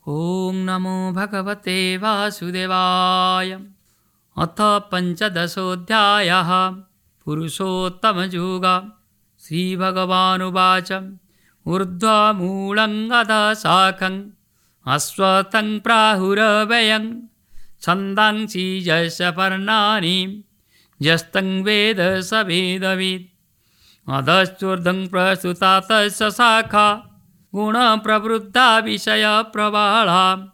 ॐ नमो भगवते वासुदेवाय। अथ पञ्चदशोऽध्यायः। पुरुषोत्तमयोगः। श्रीभगवानुवाच ऊर्ध्वमूलं अधःशाखं अश्वत्थं प्राहुरव्ययं छन्दांसि यस्य पर्णानि यस्तं वेद स वेदवित्। अधश्चूर्ध्वं प्रसृता तस्य शाखा गुणप्रवृद्धा विषयप्रवाळा।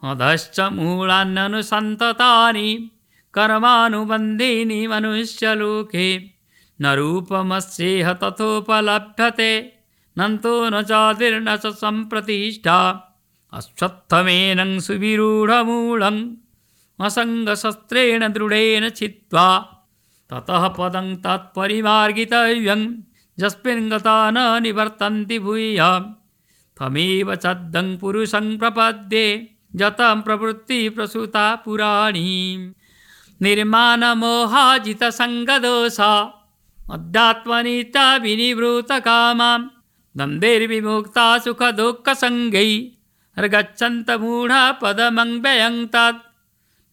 अधश्च मूलान्यनुसन्ततानि कर्मानुबन्धीनि मनुष्यलोके। न रूपमस्येह तथोपलभ्यते नन्तो न चादिर्न च सम्प्रतिष्ठा। अश्वत्थमेनं सुविरूढमूलम् असङ्गशस्त्रेण दृढेन छित्त्वा ततः पदं तत्परिमार्गितव्यं यस्मिन् गता न निवर्तन्ति भूयः। तमेव चद्धं पुरुषं प्रपद्ये यतं प्रवृत्ति प्रसूता पुराणी। निर्मानमोहाजितसङ्गदोषा अध्यात्मनित्या विनिवृतकामा द्वन्द्वैर्विमुक्ता सुखदुःखसङ्गैर्गच्छन्त मूढा पदमव्ययं तत्।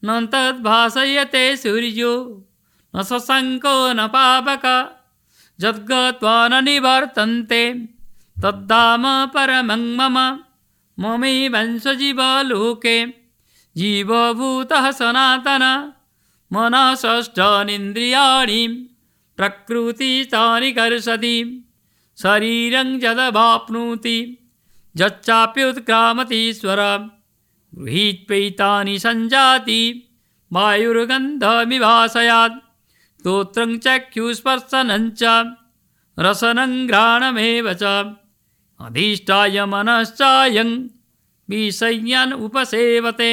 न तद्भासयते सूर्यो न शशाङ्को न पावकः यद्गत्वा न निवर्तन्ते तद्धाम परमं मम। ममैवांशजीवलोके जीवभूतः सनातनः मनसष्ठानीन्द्रियाणि प्रकृतिस्थानि कर्षति। शरीरं यदवाप्नोति यच्चाप्युत्क्रामतीश्वरः गृहीत्वैतानि सञ्जाति वायुर्गन्धमिवाशयात्। स्तोत्रं चक्षुस्पर्शनं च रसनं घ्राणमेव च अधिष्ठाय मनश्चायं विषयान् उपसेवते।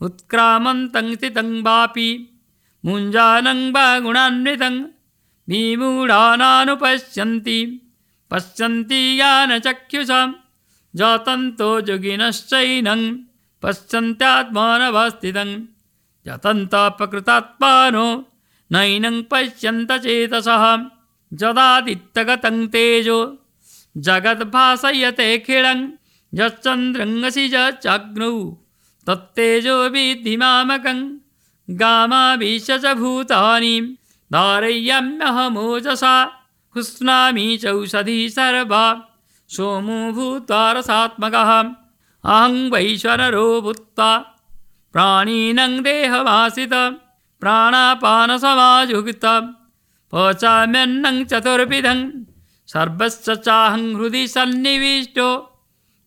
उत्क्रामन्तं स्थितं वापि मुञ्जानं वा गुणान्वितं विमूढानानुपश्यन्ति पश्यन्ति ज्ञानचक्षुषा। यतन्तो योगिनश्चैनं पश्यन्त्यात्मानवस्थितं यतन्तः प्रकृतात्मानो नैनं पश्यन्त चेतसः। यदादित्यगतं तेजो जगद्भासयतेऽखिलं यच्चन्द्रंसि यच्चाग्नौ तत्तेजो विद्धि मामकं। गामाविश्य च भूतानि धारयाम्यहमोजसा पुष्णामि चौषधी सर्वा सोमो भूत्वा रसात्मकः। अहं वैश्वानरो भूत्वा प्राणिनं देहमाश्रितः प्राणापानसमायुक्तः पचाम्यन्नं चतुर्विधं सर्वस्य चाहं हृदि सन्निविष्टो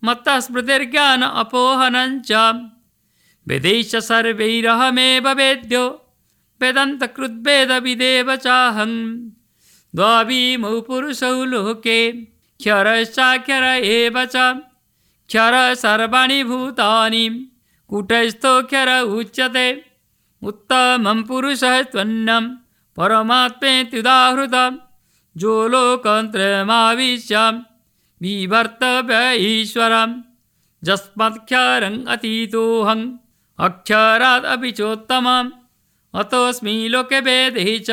मत्तः स्मृतिर्ज्ञान अपोहनं च। वेदैश्च सर्वैरहमेव वेद्यो वेदान्तकृद्वेदविदेव चाहं। द्वाविमौ पुरुषौ लोके क्षरश्चाक्षर एव च। क्षरः सर्वाणि भूतानि कूटस्थोऽक्षर उच्यते। उत्तमं पुरुषः त्वन्नं परमात्मेत्युदाहृतं जो लोकत्रयमाविश्य बिभर्त्यव्य ईश्वरं। यस्मात्क्षरम् अतीतोऽहम् अक्षरादपि चोत्तमम् अतोऽस्मि लोके वेदे च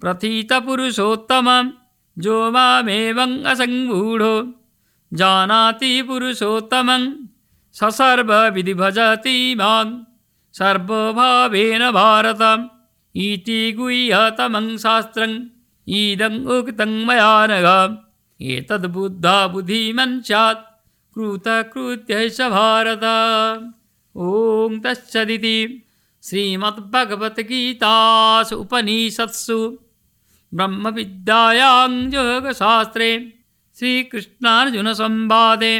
प्रथितपुरुषोत्तमं। जो मामेवम् असम्मूढो जानाति पुरुषोत्तमं स सर्वविधि भजति मां सर्वभावेन भारत। इति गुह्यतमं शास्त्रम् इदम् उक्तं मया नघ। एतद्बुद्धा बुद्धिमान् स्यात् कृतकृत्यश्च भारत। ॐ तत्सदिति श्रीमद्भगवद्गीतासु उपनिषत्सु ब्रह्मविद्यायां योगशास्त्रे श्रीकृष्णार्जुनसंवादे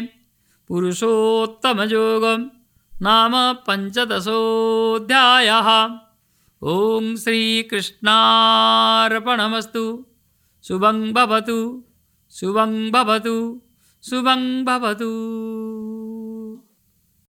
पुरुषोत्तमयोगो नाम पञ्चदशोऽध्यायः। ॐ श्रीकृष्णार्पणमस्तु। शुभं भवतु शुभं भवतु शुभं भवतु।